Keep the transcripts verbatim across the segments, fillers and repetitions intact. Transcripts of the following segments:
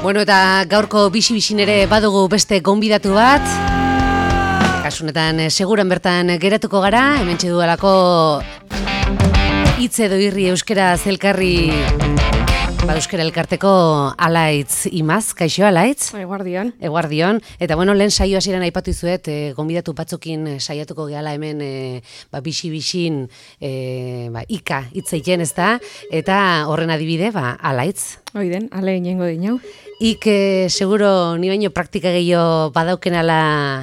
Bueno, eta gaurko bisi-bisin ere badugu beste gonbidatu bat. Kasunetan, seguran bertan geratuko gara, hementxe duelako hitz edo irri euskera zelkarri, ba, euskera elkarteko Alaitz Imaz, kaixo Alaitz? Eguardion. Eguardion. Eta bueno, lehen saio hasieran aipatu izuet, e, gonbidatu batzukin saiatuko gehala hemen e, ba, bisi-bisin e, ba, ika hitz egiten, ez da? Eta horren adibide, ba, Alaitz. Oiden, ale inengo dinau. Ik, eh, seguro, ni baino praktika gehiago badauken ala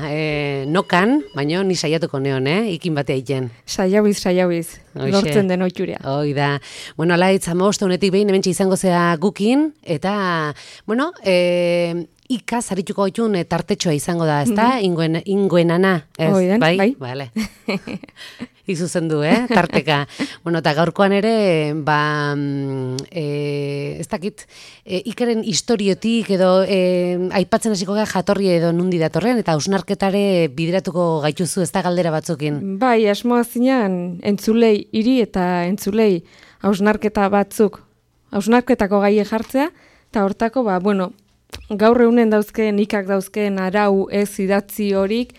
eh, nokan, baino ni saiatuko neon, eh? Ikin batea egiten. Saiabiz, saiabiz, lortzen den oiturea. Hoi da. Bueno, Alaitz, hamabost honetik behin hementxe izango zea gukin, eta, bueno, eh, ika zarituko gaitun tartetxoa izango da, ezta? Mm-hmm. Inguen, inguenana, ez? Oiden, bai? Bai, vale. Izuzen du, eh, tarteka. Bueno, eta gaurkoan ere, ba, e, ez dakit, e, ikaren historiotik edo e, aipatzen hasiko gara jatorri edo nundi datorren, eta hausnarketare bideratuko gaituzu, ez da galdera batzukin. Bai, asmoa zinean, entzulei hiri eta entzulei hausnarketa batzuk, hausnarketako gaie jartzea, eta hortako, ba, bueno, gaur egunen dauzkeen, ikak dauzkeen arau ez idatzi horik,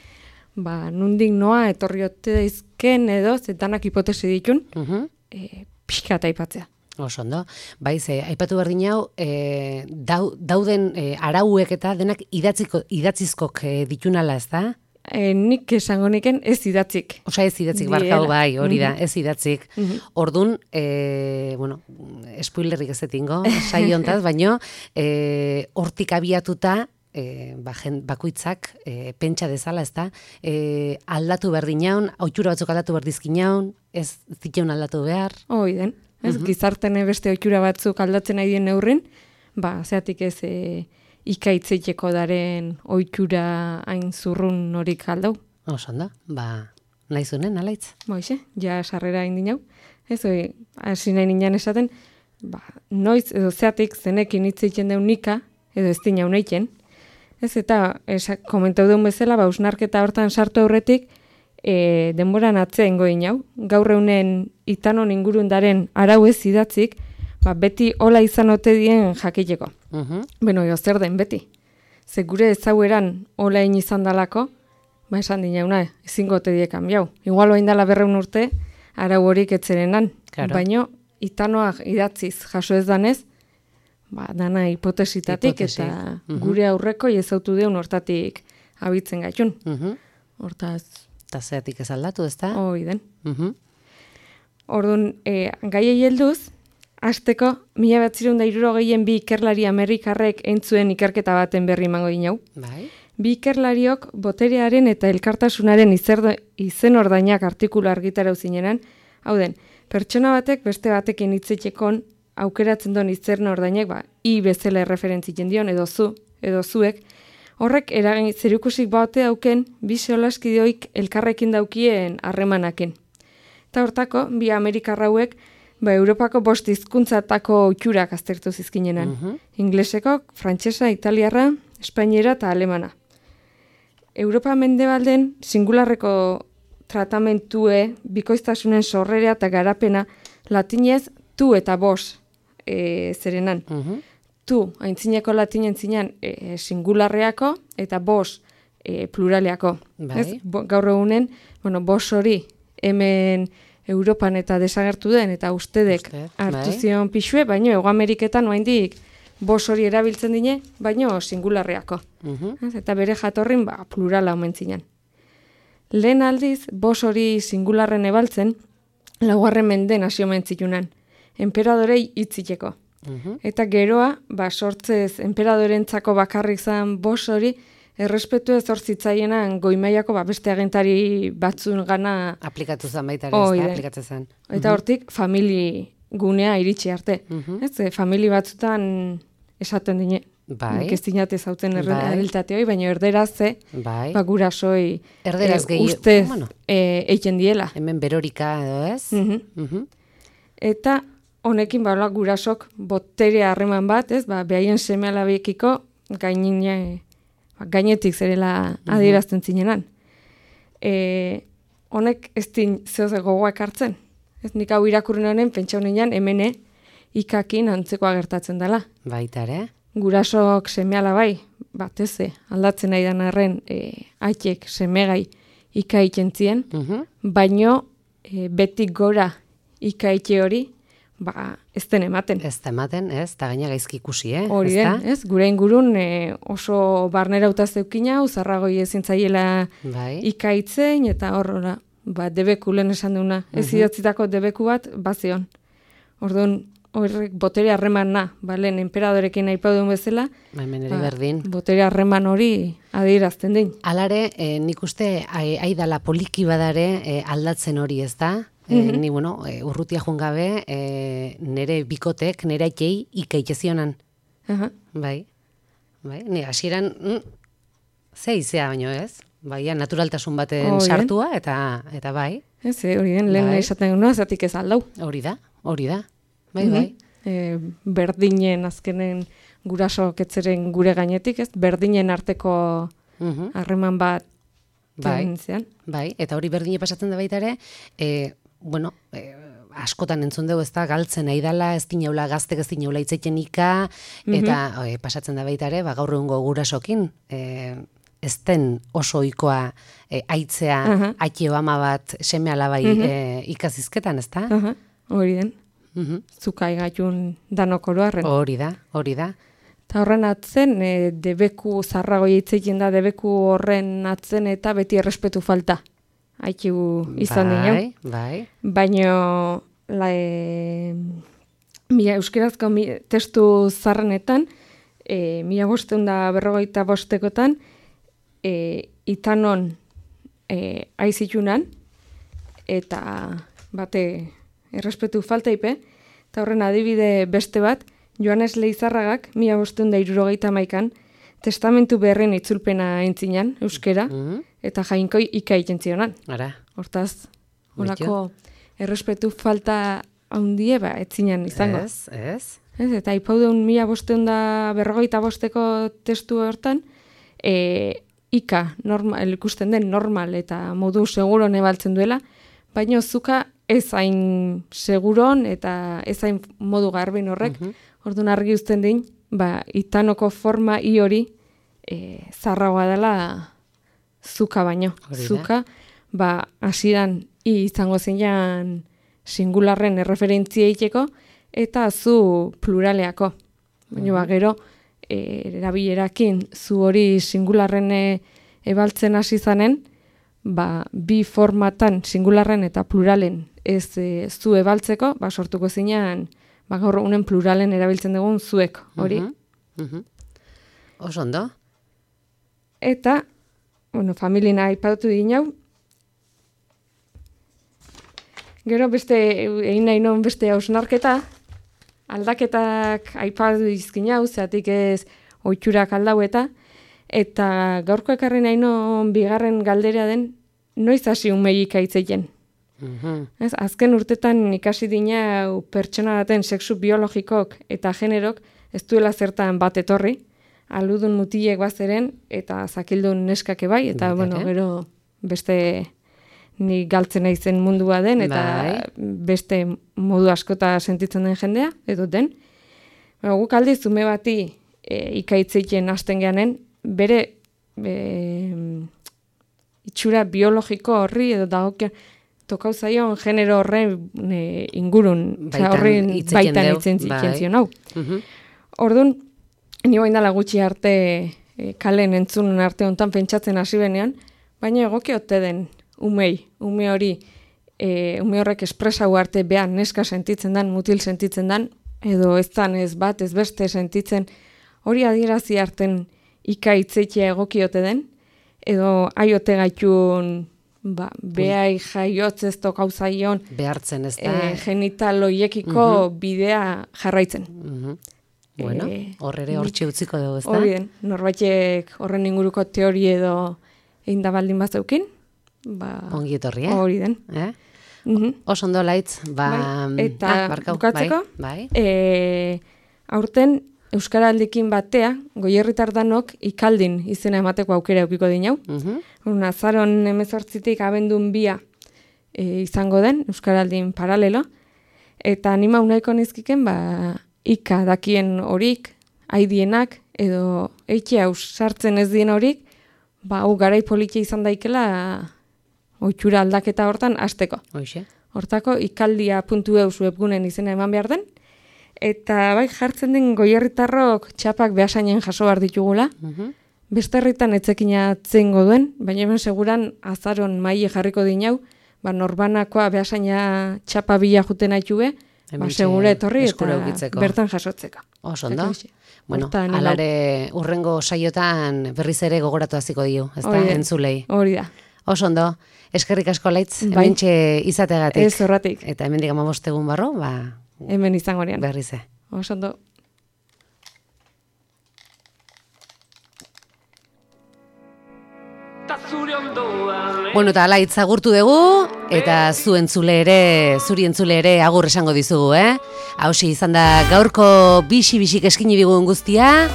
ba, nundik noa etorriote daizken edo, zetanak hipotesi ditun, uh-huh. e, pixka eta aipatzea. Oso ondo. Baiz, eh, aipatu berdin hau, eh, dau, dauden eh, arauek eta denak idatziko, idatzizkok eh, ditunala, ez da? E, nik esango niken ez idatzik. Osa ez idatzik, barkau bai, hori da, ez idatzik. Uh-huh. Ordun, e, bueno, spoilerrik ez etingo, saio hontaz, baino, e, hortik abiatuta, E, ba, jen, bakoitzak e, pentsa dezala, ez da, e, aldatu berdin jaun, oitura batzuk aldatu berdizkin jaun, ez ziteun aldatu behar. Hoi den, ez Uh-huh. gizartene beste oitura batzuk aldatzen nahi dien neurrin, ba, zeatik ez e, ikaitzeiteko daren oitura hain zurrun horik aldau. Oso ondo, ba, nahi zunen, Alaitz? Boixe, ja sarrera hain dinau, ez hoi, hasi nahi ninan esaten, ba, noiz edo zeatik zenekin hitz egiten deun nika, edo ez dinau nahiten. Ez, eta esa, komentau duen bezala, ba, usnarketa hortan sartu aurretik, e, denboran atzea ingo inau. Gaur eunen itanon ingurundaren arau ez idatzik, ba, beti hola izan ote dien jakiteko. Uh-huh. Beno, jo, zer den beti. Ze gure ezaueran hola in izan dalako, ba, esan dinauna, ezingo ote die kanbiau. Igual oain dala berreun urte, arau horik etzerenan. Claro. Baino, itanoak idatziz jaso ez danez, ba, dana hipotesitatik Hipotesi. eta Uh-huh. gure aurreko ezautu deun hortatik abitzen gaitun. Uh-huh. Hortaz, Eta zeatik ez aldatu, ez da? hoi den. Uh-huh. Orduan, e, gaiei helduz, hasteko mila batzirun da hirurogeien bi ikerlari amerikarrek eintzuen ikerketa baten berri emango dinau. Bai. Bi ikerlariok boterearen eta elkartasunaren izerdo, izen ordainak artikulu argitarau zinenan, hau den, pertsona batek beste batekin hitzetxekon aukeratzen duen izerna ordainek, ba, i bezala erreferentzitzen dion, edo zu, edo zuek, horrek eragin zerukusik baute dauken bi solaskideoik elkarrekin daukien harremanakin. Eta hortako, bi Amerikarrauek, ba, Europako bost hizkuntzatako oiturak aztertu zizkinenan. Uh-huh. Ingleseko, frantsesa, italiarra, espainiera eta alemana. Europa mendebalden singularreko tratamentue, bikoiztasunen sorrerea eta garapena, latinez tu eta bos e, zerenan. Uh-huh. Tu, aintzineko latinen zinean e, singularreako eta bos e, pluraleako. Bai. Ez? Bo, gaur egunen, bueno, bos hori hemen Europan eta desagertu den, eta ustedek Uste, hartu bai. zion pixue, baino Hego Ameriketan oraindik bos hori erabiltzen dine, baino singularreako. Uh-huh. Ez? Eta bere jatorrin ba, plurala omen zinean. Lehen aldiz, bos hori singularren ebaltzen, laugarren menden hasi omen zitunan, enperadorei hitziteko. Uh-huh. Eta geroa, ba, sortzez enperadorentzako bakarrik zan bos hori, errespetu ez hortzitzaienan goimaiako ba, beste agentari batzun gana. Aplikatu zen baita ere, ez Hoi da, da. aplikatzen zen. Eta hortik, famili gunea iritsi arte. Uh-huh. Ez, e, famili batzutan esaten dine. Bai. Nik ez dinate zauten Bai. errealitate hoi, baina erderaz ze, Bai. ba, gurasoi Erderaz e, gehi- ustez bueno. e, eiken diela. Hemen berorika edo ez? Mhm. Uh-huh. Eta honekin ba, hola, gurasok botere harreman bat, ez, ba, behaien seme alabiekiko gainine, ba, gainetik zerela adierazten zinenan. E, honek ez din zehoz gogoak hartzen. Ez nik hau irakurren honen, pentsa honean, hemene ikakin antzekoa gertatzen dela. Baita ere. gurasok semeala bai, bateze, aldatzen nahi dan arren, e, aitek semegai ikaitzen zien, Mhm. baino e, betik gora ikaitxe hori, ba, ez den ematen. Ez da ematen, ez, eta gaina gaizki ikusi, eh? Hori den, ez? Gure ingurun e, oso barnerauta zeukina, uzarragoi ezin zaiela Bai. ikaitzen, eta horrela, ba, debeku lehen esan duna. Ez idatzitako debeku bat, bazion. Orduan, horrek botere harremana, ba, lehen enperadorekin nahi paudun bezala, Hemen ere ba, berdin. botere harreman hori adierazten din. Alare, eh, nik uste, ai- aidala poliki badare eh, aldatzen hori, ez da? Eh, Ni, bueno, eh, urrutia joan gabe, eh, nere bikotek, nere aikei ikaitezionan. Aha. Bai, bai, ni hasieran mm, ze izea baino ez? Baia, naturaltasun baten Hori den. sartua, eta eta bai, Ez, eh, hori den, lehen Bai. esaten guna, zatik ez aldau. hori da, hori da. Bai, bai. E, berdinen azkenen gurasok etzeren gure gainetik, ez? Berdinen arteko Mhm. harreman bat Bai. tenentzian. Bai, eta hori berdine pasatzen da baita ere, e, bueno, e, askotan entzun dugu ez da, galtzen nahi dala, ez dinaula gaztek ez dinaula itzeiten ika, eta e, pasatzen da baita ere, ba, gaur egungo gurasokin, e, ez den oso ohikoa e, aitzea, Aha. aitio ama bat, seme alabai e, ikazizketan, ez da? Aha, hori den. Mhm. Zukai gaitun danok oroarren. Hori da, hori da. Eta horren atzen, e, debeku zarragoi hitzekin da, debeku horren atzen eta beti errespetu falta. Aikigu izan bai, dinau. bai, Baino, la, e, mila euskerazko mi, testu zarrenetan, e, mila bosteun da berrogeita bostekotan, e, itanon e, aizitunan, eta bate errespetu falta ipe, eta horren adibide beste bat, Joanes Leizarragak, mila bosteun da irurogeita maikan, testamentu beharren itzulpena entzinan, euskera, Mhm. eta jainkoi ikaiten zionan. Ara, Hortaz, holako errespetu falta handie ba, etzinen izango. ez, ez. Ez, eta ipaudeun mila bosteun da berrogeita bosteko testu hortan, e, ika normal, ikusten den normal eta modu seguron ebaltzen duela, baina zuka ez hain seguron eta ez hain modu garbin horrek, orduan argi uzten din, ba, itanoko forma i hori e, zarragoa dela zuka baino. Hori da. Zuka, ba, hasieran i izango zeinan singularren erreferentzia iteko, eta zu pluraleako. Baina ba, gero, e, erabilerakin zu hori singularren e, ebaltzen hasi zanen, ba, bi formatan singularren eta pluralen ez e, zu ebaltzeko, ba, sortuko zinean, ba, gaur unen pluralen erabiltzen dugun zuek hori. Mhm, mhm. Oso ondo. Eta, bueno, familiena aipatu dinau. Gero beste, egin nahi non beste hausnarketa, aldaketak aipatu izkin hau, zeatik ez oitxurak aldau eta, eta gaurko ekarri nahi non bigarren galdera den, noiz hasi umeik aitzeien. Mhm. Ez, azken urtetan ikasi dina pertsona baten sexu biologikok eta generok ez duela zertan bat etorri, aludun mutilek bazeren eta zakildun neskake bai, eta Baita bueno, ere. gero beste ni galtzen naizen mundua den, eta Bai. beste modu askota sentitzen den jendea, edo den. Ba, guk aldiz ume bati e, ikaitzeiten hasten geanen, bere e, itxura biologiko horri edo dagokion tokau zaion genero horren e, ingurun, Baitan horren hitz egiten baitan deu, itzen bai. zitzen zion hau. Mhm. Orduan, ni bain dala gutxi arte e, kalen entzun arte hontan pentsatzen hasi benean, baina egoki ote den umei, ume hori, e, ume horrek espresau arte behan neska sentitzen dan, mutil sentitzen dan, edo ez dan ez bat, ez beste sentitzen, hori adierazi arten ikaitzeitea egoki ote den, edo aiote gaitun, ba, behai jaiotz ez tokau zaion, Behartzen ez da. e, genital hoiekiko bidea jarraitzen. Mhm. Bueno, Eh, hor ere hortxe utziko dugu, ez da? Hori den, norbaitek horren inguruko teori edo egin da baldin bazeukin, ba, Ongi etorri, eh? hori den. Eh? Mhm. Oso ondo laitz, ba... Bai, eta ah, barkau, bukatzeko, bai, bai. E, aurten Euskaraldikin batea, goierritar danok ikaldin izena emateko aukera eukiko dinau. Mhm. Un azaron hemezortzitik abendun bia e, izango den, Euskaraldin paralelo, eta anima unaiko nizkiken, ba, ika dakien horik, haidienak, edo eitxe haus sartzen ez dien horik, ba, hau garai politia izan daikela oitxura aldaketa hortan hasteko. Hoxe. Hortako ikaldia puntu eus webgunen izena eman behar den, eta bai jartzen den goierritarrok txapak behasainen jaso behar ditugula, uh-huh. Beste herritan etzekina atzengo duen, baina hemen seguran azaron maile jarriko dinau, ba, norbanakoa behasaina txapa bila juten haitxube, ba, segura etorri eta bertan jasotzeko. Oso, ondo? Bueno, alare urrengo saiotan berriz ere gogoratu hasiko dio, ez da, entzulei. Hori da. Oso ondo, eskerrik asko Laitz, bai. Hementxe izateagatik. Ez horratik. Eta hemendik hamabost egun barro, ba... Hemen izango nean. Berrize. Oso ondo. Bueno, eta Laitz agurtu dugu, eta zu entzule ere, zuri entzule ere agur esango dizugu, eh? Hauxe izan da gaurko bixi-bixik eskini digun guztia.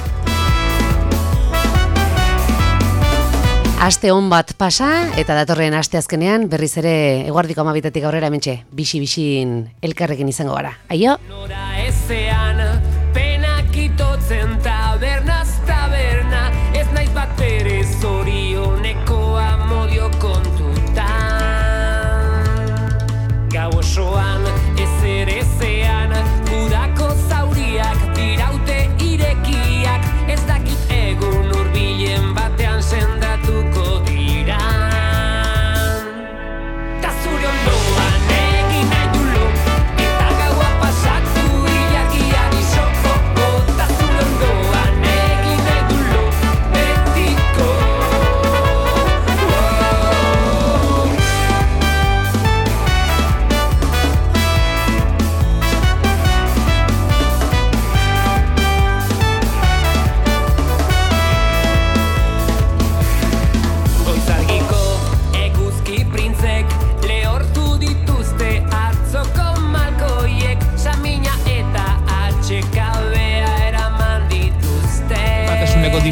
Aste on bat pasa, eta datorren aste azkenean berriz ere eguardiko amabitatik aurrera hementxe, bixi-bixin elkarrekin izango gara. Aio!